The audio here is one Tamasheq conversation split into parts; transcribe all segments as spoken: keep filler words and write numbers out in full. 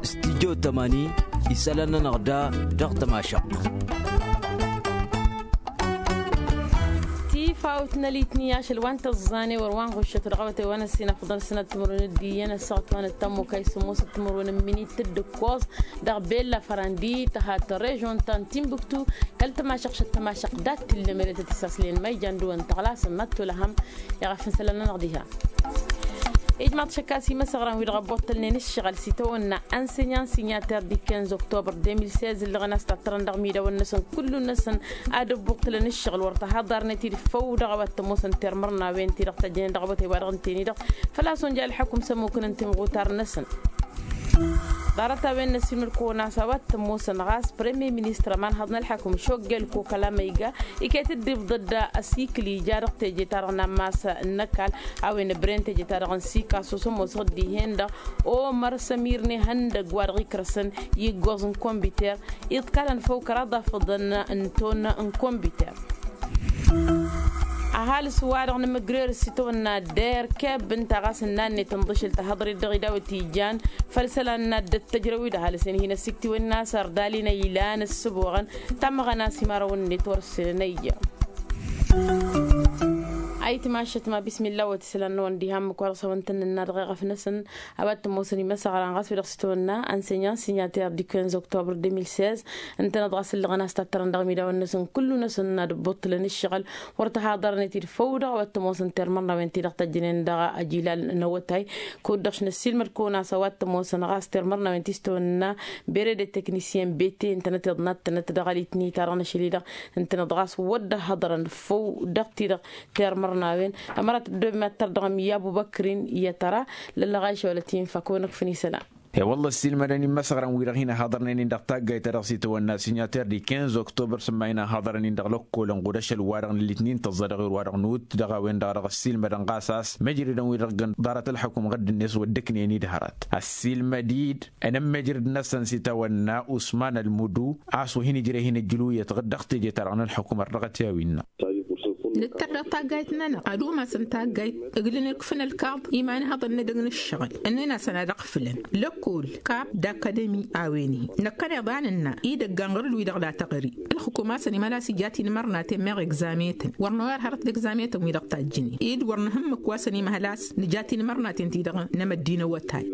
Studyo tămani isălan-nănăɣ da dăɣ-tămašăɣt. Tifawt n-alitni ašăl wa n-tăẓẓane wăr wa n-ɣuššăt dăɣ-awătay wa n-ăssinăfḍăn sănăt timǝrwen d-iyyăn ăssaɣăt wa n-ăttămmukay sămoosăt timǝrwen n-minit d-ǝkkoẓ dăɣ-bella fărandi tăhat režon ta n-timbuktu. Kăl-tămašăɣt šăt tămašăɣt dat-tillăm eletăt isaslen ma ijan dăwăn tăɣlasăn ma t-olăhăm. Iɣăf n-isălan-nănăɣ diha. Ijmaḍ šăkkas imăsăɣran wi-dăɣ ăbbuṭṭălnen ǝššăɣǝl s-itawănna ănsenyăn sinyater di quinze octobre deux mille seize ǝllăɣăn a-s tattărăn dăɣ-imidawăn-năsăn kullu-năsăn ad-ǝbbuṭṭǝlăn ǝššăɣǝl wăr tăhaḍarnet-dd făw dăɣ-a-wa t-ămoosăn termărnawen-ti-dăɣ tăjjănen dăɣ-awătay wa dăɣ-ǝnten-i-dăɣ. Făl-a-s unja ălḥăkum s-ămmukăn n-timɣutar-năsăn. Ḍarăt-a-wen n-ăssiilmăd-kăwăn a-s a-wa t-ămoosăn ɣas premier ministăr ămanhăḍ n-ălḥăkum šoggel kokăla ma iga iket-dd ifḍăd asikǝl ija dăɣ-teje-ta-dăɣ n-ammas n-ăkall. A-wen ǝbren teje-ta-dăɣ n-sikasus ămoosăɣ-dd dihen-dăɣ omăr sămir n-ihăndăgg wa dăɣ-ikrăsăn iggoẓ n-kombiter iḍkalăn făw kăraḍ afǝḍăn n-ton n-kombiter. Ăhalǝs-wa-dăɣ nǝmǝgrer s-itawănna der keb ǝnta ɣas ǝnnan-net ǝnḍǝšǝl tahăḍrit dăɣ-idawăt ijan făll-isălan n-ad-dd-tăjrăw-i d-ăhalǝs-en hin-ăssiktǝwăn n-asăr d-alin ăylan ǝssǝboɣăn tamăɣăna s-imarăwăn-net wăr-ǝssenăn ăyya. Ayǝtmašăt ma bismilla wăt isălan-năwăn diha ǝmmǝk wa dăɣ-s hawăn-tăn-nǝnna dăɣ-eɣăf-năsăn. A-wa t-ămoosăn imăsăɣran ɣas wi-dăɣ s-itwănna ănsenyăn sinyater di quinze octobre deux mille seize ǝntăneḍ ɣas ǝllăɣăn a-s tattărăn dăɣ-imidawăn-năsăn kullu-năsăn n-ad-ǝbbuṭṭǝlăn ǝššăɣǝl wăr tăhaḍărnet-dd făw-dăɣ a-wa t-ămoosăn termărnawen-ti-dăɣ tăjjănen dăɣ-ajilal n-awătay. Kud-dăɣ š-năssiilmăd-kăwăn a-s a-wa t-ămoosăn ɣas termărnawen ti s-tawănna bere de teknisyen bete ǝntănăt iḍnat-tănăt dăɣ-alitni-ta-dăɣ n-ašăl-i-dăɣ ǝntăneḍ ɣas wăr dd-ăhhăḍărăn făw dăɣ-ti-dăɣ termărnawen. Ămărat ăddooben ad-tărdăɣăm i-abubăkrin i-ad-tăra lăllăɣayša wăla tinfa kăwăn-ăkfăn isălan. E-wălla ăssiilmădăn imăsăɣran-wi-dăɣ hin-ăhaḍărnen-in dăɣ-taggayt-ta-dăɣ s-itawănna sinyater di quinze octobre s-ămmayăn ăhaḍărăn-in dăɣ-lăkkolăn ɣud ašăl-wa-dăɣ n-alitnin tăẓẓa dăɣ-erwa-dăɣ n-ut dăɣ-a-wen-dăɣ a dăɣ-ăssiilmădăn ɣas a-s măjrădăn-wi-dăɣ ǝggăn ḍarăt ălxăkum ɣǝdd-net wăr dd-ǝknen-dd hărăt ăssiilmăd-dd ănămmăjrăd-năsăn s-itawănna usman ălmudu a-s wa hin-ijreh hin-ǝjjǝl uyyăt ɣǝdd dăɣ-teje-ta-dăɣ n-ălxăkum ărdăɣăt i-a-wi ǝnna. Nǝttăr dăɣ-taggayt-nănăɣ ad-umasăn taggayt ǝglǝn ǝkfǝn ălkaḍ iman ihăḍăn n-edăgg n-ǝššăɣǝl ǝnnin-asăn ad-ăɣfǝlăn lăkkol kap d-akadămi a-wen-hi. Năkkăneḍ a nǝnna idăggan ɣur-dd-wi-dăɣ la tăɣri ǝlxǝkum a-s ănimăl a-s ija tinmărnaten meɣ egzametăn wăr noyăr hărăt d-egzametăn-wi-dăɣ tajjǝnen ed wăr nǝhǝmmǝk wa s-ănimăhăl a-s nǝja tinmărnaten-ti-dăɣ n-emăddi n-awătay.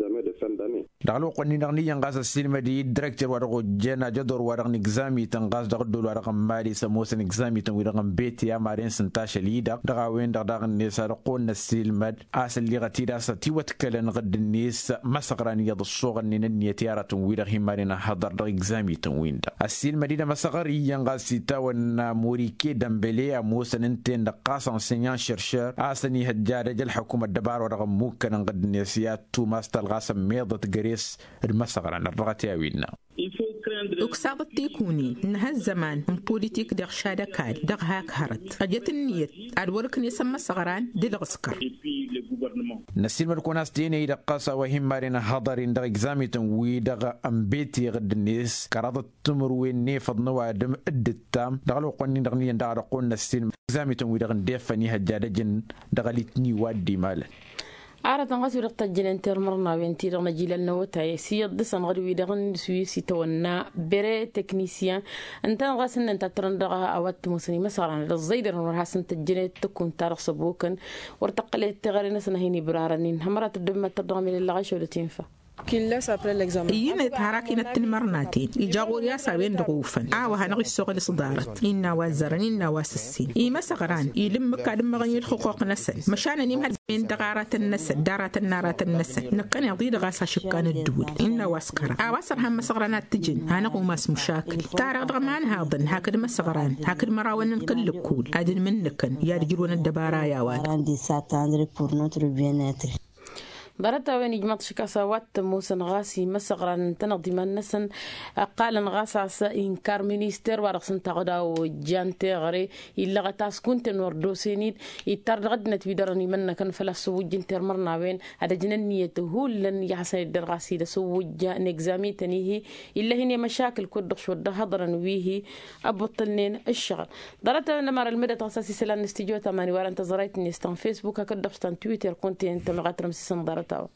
Dăɣ-ălwăqq-nin-dăɣ n-iyyăn ɣas ăssiilmăd-i d-direkter-wa-dăɣ ojjen ajădor-wa-dăɣ n-egzamităn ɣas dăɣ-ăddol-wa-dăɣ n-mali s-ămoosăn egzamităn-wi-dăɣ n-bete amaren s-ǝnta ašăl-i-dăɣ dăɣ-a-wen-dăɣ daɣ-net ad-ăqqoolăn ăssiilmăd a-s ălliɣăt-dd a-s ătiwătkălăn ɣǝdd-net măsăɣran iyyăḍ ăssoɣălnen ǝnniyăt i-aratăn-wi-dăɣ hin-maren ăhhăḍăr dăɣ-egzamităn-win-dăɣ. Ăssiilmăd-dd amăsăɣăr iyyăn ɣas itawănna morike dămbăle ămoosăn ǝnta-en-dăɣ ɣas ănsenyăn šăršăr a-s ănihăjja ad-ăj ălxăkum ăddăbar wa dăɣ-ămmukkănăn ɣǝdd-net i-ad-tumas talɣas ămmiḍăt găres d-imăsăɣran ărrăɣăt i-a-wi ǝnna. Uksaḍăt tikunin nǝha ăzzăman n-pulitik deɣ šad ăkall dăɣ-hak hărăt ăjăt ǝnniyăt ad-wăr-ǝknǝy s-ămmăsăɣran d-ǝlɣǝskăr. Năssiilmăd-kăwăn a-s tenăy-dăɣ ɣas a-wa hin-maren ăhhăḍăr-in dăɣ-egzamităn-wi-dăɣ n-bete ɣǝdd-net kăraḍăt timǝrwen n-efăḍ n-ăwadǝm d-ǝttam dăɣ-ălwăqq-nin-dăɣ n-iyyăn daɣ ad-ăqqolăn ăssiilmăd egzamităn-wi-dăɣ n-defăn ihăjja ad-ăjǝn dăɣ-alitni wa dd-imalăn. Arătăn ɣas wi-dăɣ tăjjănen termărnawen-ti-dăɣ n-ajilal n-awătay s-iyyăḍ dăɣ-săn ɣǝd-wi-dăɣ n-swi s-itawănna bere teknisyen ǝntăneḍ ɣas ǝnnăn tattărăn dăɣ-a-wa t-ămoosăn imăsăɣran ad-ăẓẓăydărăn wăr hasăn-tăjjănet tǝkunt-ta-dăɣ s-ăbokăn wăr tăqqălet teɣăre-năsăn a hin-ibrarăn-in hămărat ăddooben ma t-tărdăɣăm i-lăllăɣ ašăw d-tinfa. Iyyăn-et har akinăt tinmărnaten ija ɣur-i a-s a-wen-dăɣ ufăn a-wa hanăɣ-issoɣăl s-ḍarăt innă a-wa ăzzărăn innă a-wa s-ǝssin imăsăɣran ila ǝmmǝk ad-ǝmmăɣăn i-ǝlxǝquq-năsăn măšan ănimhăl-wen dăɣ-aratăn-năsăn d-aratăn n-aratăn-năsăn năkkăneḍ-i-dăɣ a-s ašǝkka n-ăddǝwǝl innă a-wa s-kăra a-wa s-ărhan măsăɣran ad-t-ǝjǝn hanăɣ-umas măšakǝl. Tar-dăɣ d-ămanhaḍăn hakd măsăɣran hakd mărawăn n-kăl-lăkkol ad-ǝnmǝnnǝkăn i-ad-ǝjrǝwăn ăddăbara i-a-wa-dăɣ. Ḍarăt-a-wen ijmaḍ šik a-s a-wa t-ămoosăn ɣas imăsăɣran ǝntăneḍ d-iman-năsăn ăqqalăn ɣas a-s inkar minister wa dăɣ-s ǝnta a-wen-dăɣ a ojjan teɣăre illăɣăt a-s kunta-en wăr dd-osen-dd ittar dăɣ-ăddinăt wi dărăn imănnăkăn făl-a-s ăwwǝjjǝn termărnawen ad-ăjǝn ǝnniyăt hullan i-ad-hasăn-dd-ărɣas-dd ăsǝwwǝjja n-egzamităn-i-hi. Illa hin-e-măšakǝl kud-dăɣ šwăr dd-ăhhăḍărăn wi-hi ăbbuṭṭălnen ǝššăɣǝl. Ḍarăt-a-wen ămăra ălmădăt ɣas a-s isălan n-studyo tamani wa dăɣ-tăẓrayt-net ta n-fesbuk hakd-dăɣ ta n-twitter kunta-en tămăɣ ad-tărmǝsǝsăn ḍarăt-a-wa.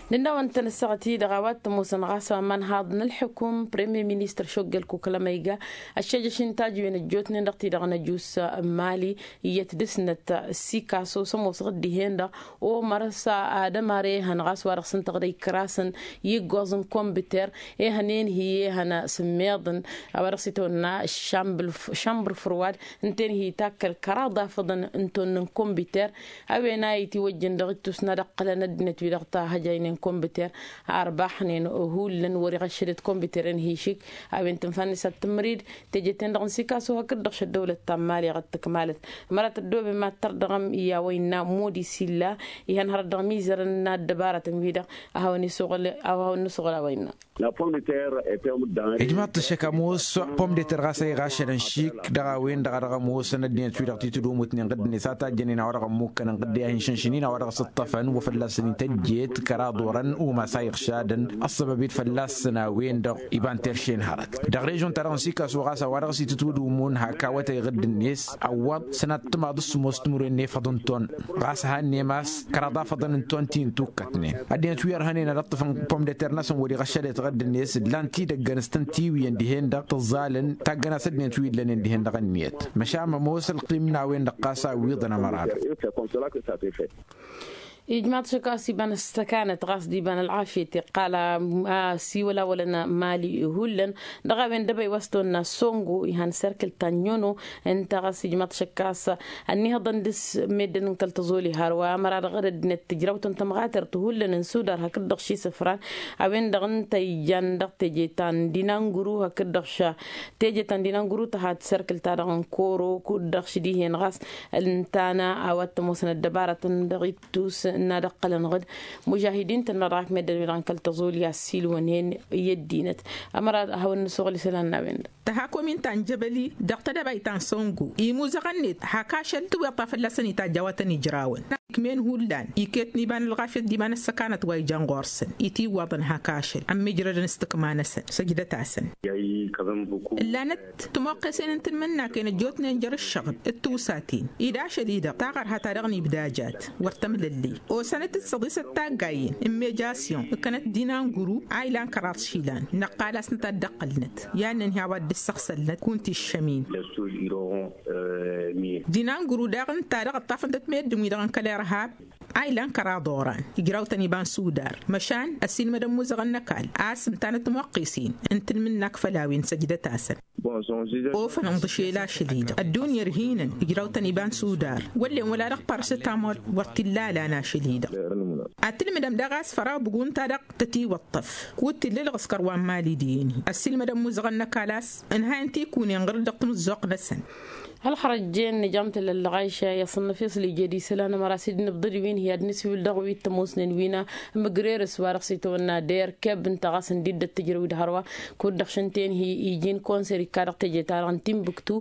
Nǝnnawăn-tăn ăssaɣăt-i-dăɣ a-wa t-ămoosăn ɣas wa n-imanhaḍ n-ălḥukum premier ministăr šoggel kukǝlăm a iga ăššejăš n-tajǝwen ăjjootnen dăɣ-ti-dăɣ n-ăjuss n-mali iyyăt dăr-snăt sikaso s-ămoosăɣ dd-ihen-dăɣ omăr s-ad-ămar ehăn ɣas wa dăɣ-s ǝntăɣ d-ăykrasăn i-ǝggoẓ n-kombiter ehăn enhi ehăn s-ǝmmeḍăn a-wa dăɣ-s itawănna šambr fărwad ǝnta enhi takkăl kăraḍ afăḍăn n-tonnăn kombiter a-wen a itiwăjjăn dăɣ-ittus n-ad-ăqqǝlăn ăddinăt-wi-dăɣ tahăjaynen kombiter arbaxnen hullan wăr-iɣăššădăt kombiter enhi išik a-wen tǝnfa-net ad-tǝmrid teje-ten-dăɣ n-sikaso hakd-dăɣ šăddăwlăt ta n-mali ɣad tǝkmalăt. Mărat ăddooben mad-tărdăɣăm i-a-wa innă modi s-illa ihăn hărăt dăɣ-mizărăn n-ad-dăbaratăn-wi-dăɣ a hawăn-nǝsuɣǝl a-wa innă. Ijmaḍ-t ăššăk ămoos pomdeter ɣas a iɣašălăn šik dăɣ-a-wen-dăɣ a dăɣ-ămoosăn ăddinăt-wi-dăɣ titǝdumutnen ɣǝdd-net a tajjănen a-wa dăɣ-ămmukkănăn ɣǝdd i-ad-hin-šănšǝnin a-wa dăɣ-s ǝṭṭăfăn wa fălla-săn ităjjet kăraḍ orăn umas a iɣšadăn ăṣṣăbăb-dd fălla-săn a-wen-dăɣ iba n-terše n-hărăt dăɣ-režon-ta-dăɣ n-sikaso ɣas a-wa dăɣ-s itǝtwǝdumǝn hak awătay ɣǝdd-net ăwwăḍ sănat timaḍ s-sǝmmos timǝrwen n-efăḍ n-ton ɣas a hannem a-s kăraḍ afăḍăn n-ton ti n-tukkătnen ăddinăt wi ărhănen ad-ǝṭṭǝfăn pomdeter-năsăn wăr-iɣăššădet ɣǝdd-net ǝllan-t idăggăn s-tăn-tiwǝyăn dihen-dăɣ tǝẓẓalăn taggăn a-s ăddinăt wi ǝllănen dihen-dăɣ ǝnniyăt. Măšan ămoos ălqim n-a-wen-dăɣ ɣas a ǝwwiḍăn ămăra-dăɣ. Ijmaḍ šăkk a-s iba n-ăssăkanăt ɣas d-iba n-ălɣafyăt iqqal a-s iwălawălăn mali hullan dăɣ-a-wen dăbăy wa s-tăwănna songo ihan serkǝl ta n-inono ǝnta ɣas ijmaḍ šăkk a-s ănnihăḍăn dăr-s meddǝn n-kăl-tăẓoli hărwa ămăra-dăɣ d-ăddinăt tǝjrawt n-tămɣatărt hullan n-sudar hakd-dăɣ šisǝfran a-wen-dăɣ ǝnta ijan dăɣ-teje ta n-dinanguru hakd-dăɣ ša teje ta n-dinanguru tăha d-serkǝl-ta-dăɣ n-koro kud-dăɣ š-dihen ɣas ǝnta n-a-wa t-ămoosăn ăddăbarătăn dăɣ-ittus n-ad-ăqqălăn ɣǝd mužahidin-tăn-dăɣ dăɣ-ak meddǝn-wi-dăɣ n-kăl-tăẓoli a ăssiilwănen i-ăddinăt. Ămăra ad-hawăn-nǝsuɣǝl isălan n-a-wen-dăɣ. Tăha komin ta n-jăbăli dăɣ-tedăbayt ta n-săngu imuzăɣăn-net hak ašăl tǝwweḍ ta fălla-săn itajj a-wa tăn-ijrawăn. Ikmen hullan iket n-iba n-ălɣafyăt d-iba n-ăssăkanăt wa ijan ɣur-săn itiwwaḍăn hak ašăl ămmijrădăn s-tǝkma-năsăn săjdăt-asăn. Ǝllanăt timoqqesen n-tǝlmǝnnaken ăjjootnen jer-ǝššăɣǝl d-tiwsaten-i d-ašăl-i-dăɣ taɣărha ta dăɣ-nibdajat wăr tămlăllăy osănăt-dd săḍisăt taggayen n-mejasyon ǝkkănăt dinanguru a ilan kăraḍ išilan năqqal-asnăt ad-dd-ăqqălnăt i-ad-nǝnhǝy a-wa dd-ǝssăɣsălnăt kunta iššăm-in. Dinanguru daɣ ǝnta-dăɣ ǝṭṭafăn-tăt meddǝn-wi-dăɣ n-kăl-irhab a ilan kăraḍ oran ijraw-tăn iba n-sudar măšan ăsiilmăd ămmuzăɣăn n-ăkall a-s ǝnta n-ătmăqqisen n-tǝlmǝnnak făll-a-wen săjdăt-asăn. Ofăn ǝnḍǝšel ašăl-i-dăɣ ăddunya ărhinăn ijraw-tăn iba n-sudar wăllen wăla dăɣ-parasetamol wăr t-illa alan ašăl-i-dăɣ. Ad-tǝlmǝdăm daɣ a-s făraw bǝgun-ta-dăɣ tătiwăṭṭăf kud t-illa ălɣǝskăr wa n-mali d-eni ăssiilmăd ămmuzăɣăn n-ăkall a-s ǝnhayăn-t ikunen ɣur-dăɣ timǝzzuɣt-năsăn. Ălxărăjjen nǝjam tălăllăɣ ayša i-asǝnnăf iṣli jed isălan ămăra s-dd-nǝbḍǝd wi n-hi-ad-nǝswǝl dăɣ-wi t-ămoosnen wi n-amǝgrerǝs wa dăɣ-s itawănna der keb ǝnta ɣas ǝndidăt tǝjrăwid hărwa kud-dăɣ šăn tenhi iji n-konser ikka dăɣ-teje-ta-dăɣ n-timbuktu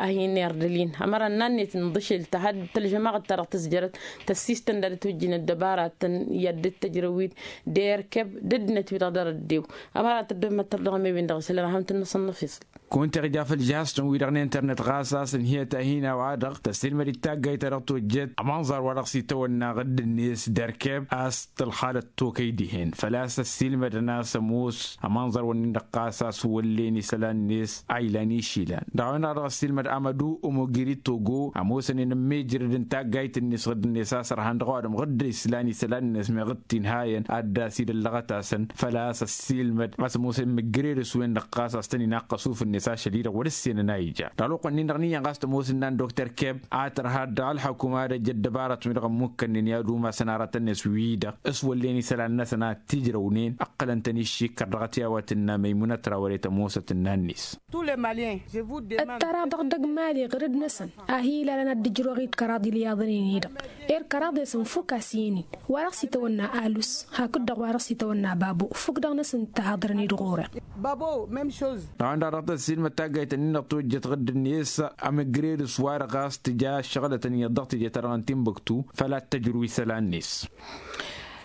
a hin-irdăl-in ămăra ǝnnan-net ǝnḍǝšel tăha d-tălžămaɣăt-ta-dăɣ tǝzjărăt tăssistăn d-ad-ătwǝjjǝn ăddăbaratăn i-ad-dd-tǝjrăwid der keb d-ăddinăt-wi-dăɣ dăr-ăddew. Ămăra tăddobem ad-tărdăɣăm i-win-dăɣ isălan ad-ham tǝnnăsăn n-afiṣǝl. Kunta iɣja făll-jihaz-tăn-wi-dăɣ n-internet ɣas a-s ǝnhǝyăt a hin-a-wa-dăɣ tăssiilmăd-dd taggayt ta dăɣ-tojjet ămanẓar wa dăɣ-s itawănna ɣǝdd-net derkeb a-s tălxalăt tokăy dihen făl-a-s ăssiilmădăn a-s ămoos ămanẓar-wǝnnin-dăɣ ɣas a-s wăllen isălan-net a ilan išilan dăɣ-a-wen-dăɣ a dăɣ-ăssiilmăd amădu omogiri togo ămoosănen ămmeejrădăn taggayt-net ɣǝdd-net a-s ărhan dăɣ-ăwadǝm ɣǝdd islan isălan-net meɣ dd-tinhayăn ad-dd-asidăllăɣăt-asăn făl-a-s ăssiilmăd a-s ămoosăn imǝjjărerǝs-wen-dăɣ ɣas a-s tăn-inaqqăs ufǝnnet ašăl-i-dăɣ wăr-ǝssenăn a ija dăɣ-ălwăqq-nin-dăɣ n-iyyăn ɣas tămoos ǝnnan dokter keb a tărha dd-ălxăkum ad-ăj ăddăbarăt-wi-dăɣ ămmukkănnen i-ad-umasăn aratăn-net wi-dăɣ s-wăllen isălan-năsăn ad-t-ijrăwnen ǝqqălăn-tăn iššikkăr dăɣ-t i-a-wa tǝnna măymunăt ra wăr-e tămoosăt ǝnnan-net. Ǝttăraḍăɣ dăgg-mali ɣǝrǝd-năsăn a hi-ilalăn ad-dd-ǝjrăwăɣ-dd kăraḍ ilyaḍăn-in-i-dăɣ. Ed kăraḍ-esăn fukk a-s i-ǝnnin wa dăɣ-s itawănna alus hakd-dăɣ wa dăɣ-s itawănna babo fukk-dăɣ-năsăn dd-tahaḍărăn-dd ɣur-e. Dăɣ-a-wen-dăɣ dăɣ-tăssiilmăd taggayt-ǝnnin-dăɣ tojjăt ɣǝdd-net amǝgrerǝs wa-dăɣ a-s tǝja ăššăɣǝlătăn iyyăḍ dăɣ-teje-ta-dăɣ n-timbuktu făl ad-tăjrǝw isălan-net.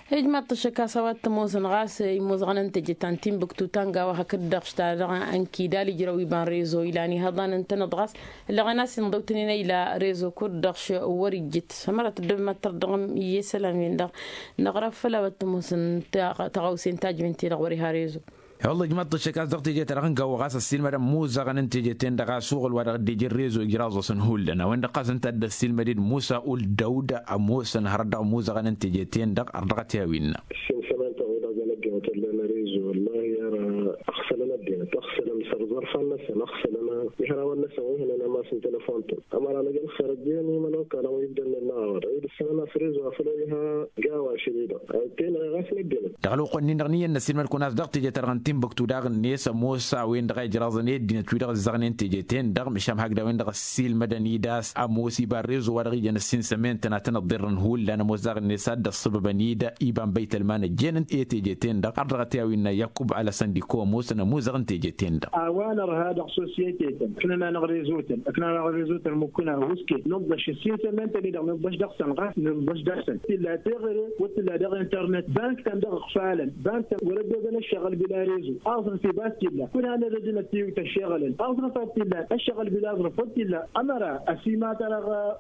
Ijmaḍ-t ăššăk a-s a-wa t-ămoosăn ɣas imuzăɣăn n-teje ta n-tinbǝktu ta n-gawa hakd-dăɣ š-ta-dăɣ n-kidal ijrăw iba n-rezo ilan ihăḍan ǝntăneḍ ɣas ǝllăɣăn a-s inḍăw-tăn-in a ila rezo kud-dăɣ š-wăr-ijjǝt. Ămăra tăddobem ad-tărdăɣăm iyyăt isălan-wen-dăɣ năɣrăb făll-a-wa t-ămoosăn tăɣawse n-tajǝwen-ti-dăɣ wăr-iha rezo. Wălla ijmaḍ-t ăššăk a-s dăɣ-teje-ta-dăɣ n-gawa ɣas ăssiilmădăn imuzăɣăn n-teje-ten-dăɣ a-s uɣǝl wa dăɣ-dd-ija rezo ijraẓ-asăn hullan a-wen-dăɣ ɣas ǝnta a dd-ăssiilmăd-dd musa ul dăwd ămoosăn hărăt dăɣ-imuzăɣăn n-teje-ten-dăɣ ar dăɣ-t i-a-wen-innă. Ǝssin sămantăɣ-wi-dăɣ jăn ăddinăt ăllen rezo wăllahi ar ăɣsălăn ăddinăt ăɣsălăn săr-iẓărfan-năsăn ăɣsălăn. Ihărawăn-năsăn wi hănen ămass n-telăfon-tăn ămăra năj ălxer ăjjeen imănokalăn wi dd-ănnen n-aɣăwăd wi dd-ǝssănăn a-s rezo afăl oy iha gawa ašăl-i-dăɣ. Ăyy tenăɣ i-ɣas n-ăddinăt. Dăɣ-ălwăqq-nin-dăɣ n-iyyăn n-ăssiilmăd-kăwăn a-s dăɣ-teje-ta-dăɣ n-tinbǝktu daɣ-net ămoos a-wen-dăɣ a ijraẓăn i-ăddinăt-wi-dăɣ ǝzzăɣnen teje-ten-dăɣ măšan hakd a-wen-dăɣ ăssiilmădăn-dd a-s ămoos iba n-rezo wa dăɣ-ijăn ǝssin sămen-tăn ad-tăn-ăḍḍirrăn hullan ămoos daɣ-net a dd-ăṣṣăbăbăn-dd iba n-băytălman ăjjeen i-teje-ten-dăɣ ar dăɣ-t i-a-wen-innă yakub alăsăn d-iko ămoosăn ămuzăɣ n-teje-ten-dăɣ. A-wa nărha dăɣ-sosyete-tăn ǝknăn-anăɣ rezo-tăn ǝknăn-anăɣ rezo-tăn mukkǝna wǝske nǝḍḍăš ǝssin sămen-tăn-i-dăɣ nǝḍḍăš dăɣ-săn ɣas nǝḍḍăš dăɣ-săn. Tǝlla teɣăre wăr tǝlla dăɣ-internet bank-tăn dăɣ-iɣfalăn bank-tăn wăr-ăddobăn ăššăɣǝl bila rezo aẓrǝf i-ba t-illa kul hanăd-ăddinăt tiwt ăššeɣălăn aẓrǝf ad-t-illan ăššăɣǝl bila aẓrǝf wăr t-illa. Ămăra ăsimătăr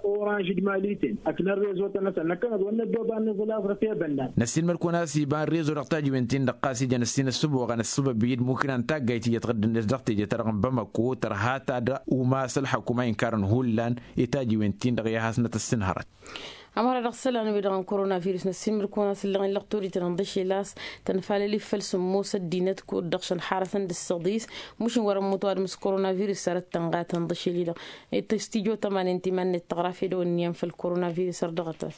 oranž d-mali-ten ăknăn rezo-tăn-năsăn năkkăneḍ wăr năddoba n-iẓǝl aẓrǝf i-bănnan. Năssiilmăd-kăwăn a-s iba n-rezo dăɣ-tajǝwen-tin-dăɣ ɣas ijăn ǝssin ăssǝboɣăn ăssăbăb-i d-mukǝna n-taggayt iyyăt ɣǝddǝn-net dăɣ-teje-ta-dăɣ n-bamăko tărha-ta-dăɣ umas ălxăkum a inkarăn hullan i-tajǝwen-tin-dăɣ i-ad-hasnăt ăssinhărăt. Ămăra dăɣ-isălan-wi-dăɣ n-koronavirus năssiilmăd-kăwăn a-s ǝllăɣen lăqturi-tăn ǝnḍǝšel a-s tănfalăl-i făll-sǝmmos ăddinăt kud-dăɣ šăn xarătăn d-ǝssăḍis mušin wăr-ămmut ăwadǝm s-koronavirus sărăt tănɣa tănḍǝšel-i-dăɣ. Tăstijo tămanin timan-net tăɣraf edăwănniyăn făll-koronavirus ărdăɣăt-as.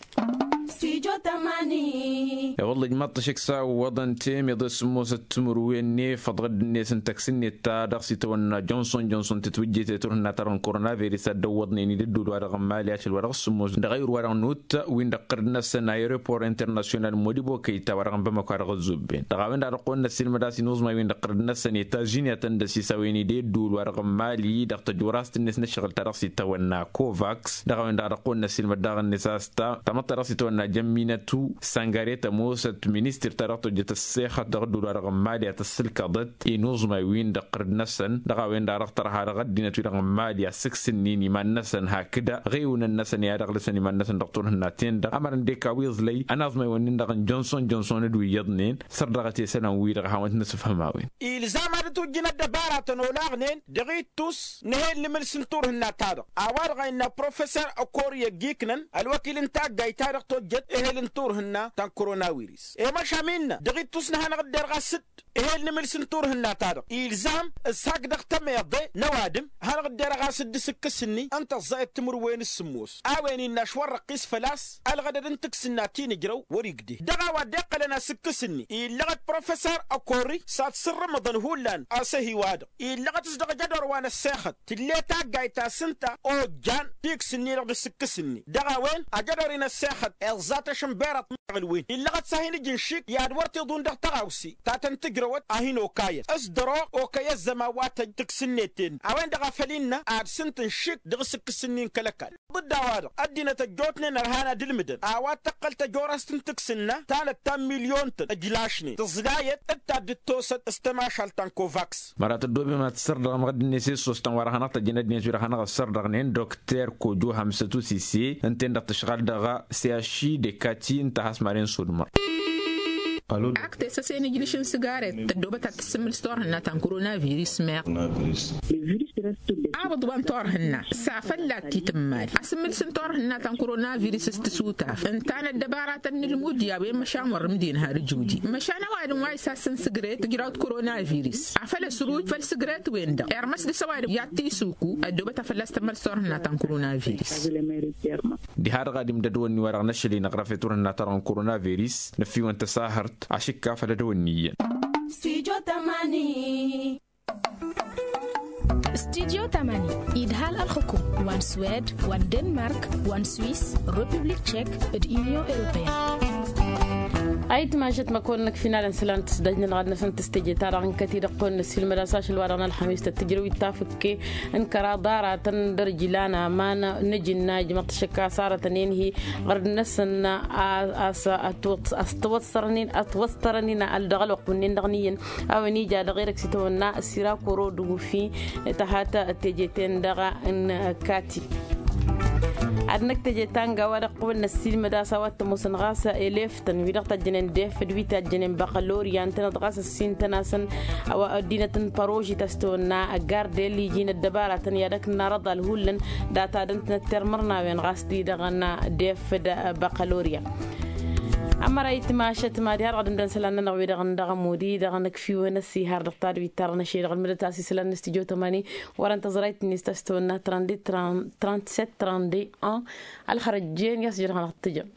Stijo tămani. E-wălla ijmaḍ-t ăššăk s-a ǝwwăḍăn temeḍe s-sǝmmosăt timǝrwen n-efăḍ ɣǝdd-net n-tăks-net ta dăɣ-s itawănna jonson jonson tǝtwǝjjet i-turhǝnna-ta-dăɣ n-koronavirus a dd-ăwwăḍnen-dd ădduul-wa-dăɣ n-mali ašăl-wa-dăɣ s-sǝmmos dăɣ-ayǝr-wa-dăɣ n-ut wi n-dăɣ-tărǝd-năsăn aeropor internasyonal n-modibo kăyy ta wa-dăɣ n-bamăko a dăɣ-ăzzubben dăɣ-a-wen-dăɣ a dăɣ-kăwăn-năssiilmăd a-s inuẓmay wi n-dăɣ-tărǝd-năsăn i-tažiniyăt ăndăsisawen-dd i-ădduul-wa-dăɣ n-mali dăɣ-tăjorast-net n-ǝššăɣǝl ta dăɣ-s itawănna kovaks. Dăɣ-a-wen-dăɣ a dăɣ-kăwăn-năssiilmăd daɣ-net a-s ta tamăḍt ta dăɣ-s itawănna jămminătu săngăre tămoosăt ministir ta dăɣ-tojjăt ăssexăt dăɣ-ădduul-wa-dăɣ n-mali a tăssǝlkăḍăt i-inuẓmay wi n-dăɣ-tărǝd-năsăn. Dăɣ-a-wen-dăɣ a dăɣ-tărha dăɣ-ăddinăt-wi-dăɣ n-mali a sǝksǝnnin iman-năsăn hakd aɣewǝnăn-năsăn i-ad-ăɣlǝsăn iman-năsăn dăɣ-turhǝnna-ten-dăɣ ămărăn d-eka wi iẓlăy ănaẓmăy-wăn-nin-dăɣ n-jonson jonson d-wi iyyăḍnen săr dăɣ-t i-isălan-wi-dăɣ a hawăn-t-nǝsǝfhăm a-wen. Ilzam ad-dd-tujjǝn ăddăbaratăn olaɣnen dăɣ-ittus n-ehel n-imǝls n-turhǝnna-ta-dăɣ a-wa-dăɣ a innă profesăr ăkori ăgg-iknăn ălwăkil n-taggayt ta dăɣ-tojjăt ehel n-turhǝnna ta n-koronawiris i-măšan innă dăɣ-ittus n-ad-hanăɣ-dd-erɣ a-s dd-ehel n-imǝls n-turhǝnna-ta-dăɣ ilzam s-hak dăɣ-tămeḍe n-ăwadǝm hanăɣ-dd-erɣ a-s dd-isǝkkǝs-ni ǝnta ăẓẓayăt timǝrwen s-sǝmmos a-wen innă ašwărrăqqis făl-a-s ălɣădăd n-tǝksǝnna ti n-ǝjrăw wăr-igdeh dăɣ-a-wa dd-iqqălăn asǝkkǝs-ni illăɣăt profesăr ăkori s-ad-sǝrrǝmǝḍăn hullan asăhiwa-dăɣ illăɣăt s-dăɣ ajădor wa n-ăssexăt tǝlle taggayt ta s-ǝnta ojjan tiks-ǝnni-dăɣ d-asǝkkǝs-ǝnni dăɣ-a-wen ajădor-in ăssexăt iẓẓa tašǝnberaḍt n-aɣǝlwen illăɣăt s-ad-hin-ǝj ǝnšik i-ad-wăr t-iḍun dăɣ-tăɣawse ta tăn-tǝjrăwăt a hin-okayăt s-dăr-oɣ okăy ăzzăman wa tăj tǝks-net-en a-wen-dăɣ a făl innă ad-sǝnt ǝnšik dăɣ-asǝkkǝs-ǝnni n-kăl-ăkall. Dd-a-wa-dăɣ ăddinăt ăjjootnen ărhan ad-ǝlmǝdăn a-wa t-tăqqăl tăjorast n-tǝks-ǝnna ta năttan milyon-tăn ǝjlašnen tǝẓlayăt d-ta dd-ăttosăt s-tămašalt ta n-kovaks. Măra tăddoobem ad-t-sărdăɣăm ɣǝdd-net i-ǝssoostăn wa dăɣ-hanăɣ-tăjjăn ăddinăt wi dăɣ-hanăɣ-ăssărdăɣnen dokter kojo hamsăt usise ǝnta-en-dăɣ tǝšɣal dăɣ-siyaši dekati ǝnta a has-maren sudmăr. Ak tesăsen ijlǝš n-sǝgaret tăddoobăt ad-tǝssǝmmǝl s-turhǝnna ta n-koronavirus meɣ. Abǝḍ wa n-turhǝnna s-afălla t-itǝmmal asǝmmǝl s-n-turhǝnna ta n-koronavirus s-tǝsutaf ǝnta n-ăddăbaratăn n-ǝlmud i-a-wen măšan wăr-ǝmdin har ǝjudi măšan ăwadǝm wa isassăn sǝgret tǝjrawt koronavirus afăl ăsruj făll-sǝgret-wen-dăɣ irmăs dăɣ-s ăwadǝm i-ad-t-isǝkku ăddoobăt a fălla-s tǝmmăl s-turhǝnna ta n-koronavirus. Diha-dăɣ ad-imdăd wănni-wa-dăɣ n-ašăl-i n-aɣrăf i-turhǝnna ta dăɣ-n koronavirus năffiwăn tăsahărt ašǝkka făll-ad-wănni iyyăn. Studio tămani. Studio tămani idhal ălxukum wa n-swed wa n-denmark wa n-swis, republik tchek d-union europeen. Ayǝtmašăt măkon-năk finalăn sălan tǝsdăjnăn ɣad-năsăn tǝstăje-ta-dăɣ n-kăti-dăɣ kăwăn-năssilmăd-as ašăl-wa-dăɣ n-ălxămis tăt-tǝjrăw ittafǝkke n-kăraḍ aratăn dăr-ijlan aman n-ejǝnna ijmăḍ-t šăkk a-s arătăn enhi ɣărd-năsăn. A-s ătwăssărăn-in ăldăɣ ălwăqq wǝnnin-dăɣ n-iyyăn a-wen ija dăɣ-erăk s-itawănna s-irakoro d-ufi tăhat teje-ten-dăɣ n-kati. Ad-năkk teje ta n-gawa-dăɣ qubǝl năssiilmăd a-s a-wa t-ămoosăn ɣas eleftăn wi-dăɣ tajjănen defăd wi tajjănen băɣălorya ǝntăneḍ ɣas ăssintăn-asăn. A-wa ăddinăt n-părožit a-s tăwănna gardel iji n-ăddăbaratăn i-ad-ăkk n-arăḍal hullan data dăɣ-năttăr mărnawen ɣas ti-dăɣ n-defăd băɣălorya. Ămăra itmašăt madi har dăɣ-dăɣ-năsălan-nănăɣ wi-dăɣ n-dăɣ-ămudi dăɣ-năkfiwăn ăssihar dăɣ-tadwit ta dăɣ-năšăy dăɣ-ălmǝdăt a-s isălan n-stujo tămani. Wărăn tăẓrayt-net a-s tăwănna trente-sept trente-un. Ălxărăjjen i-a-s jăr hanăɣ-tǝjăm.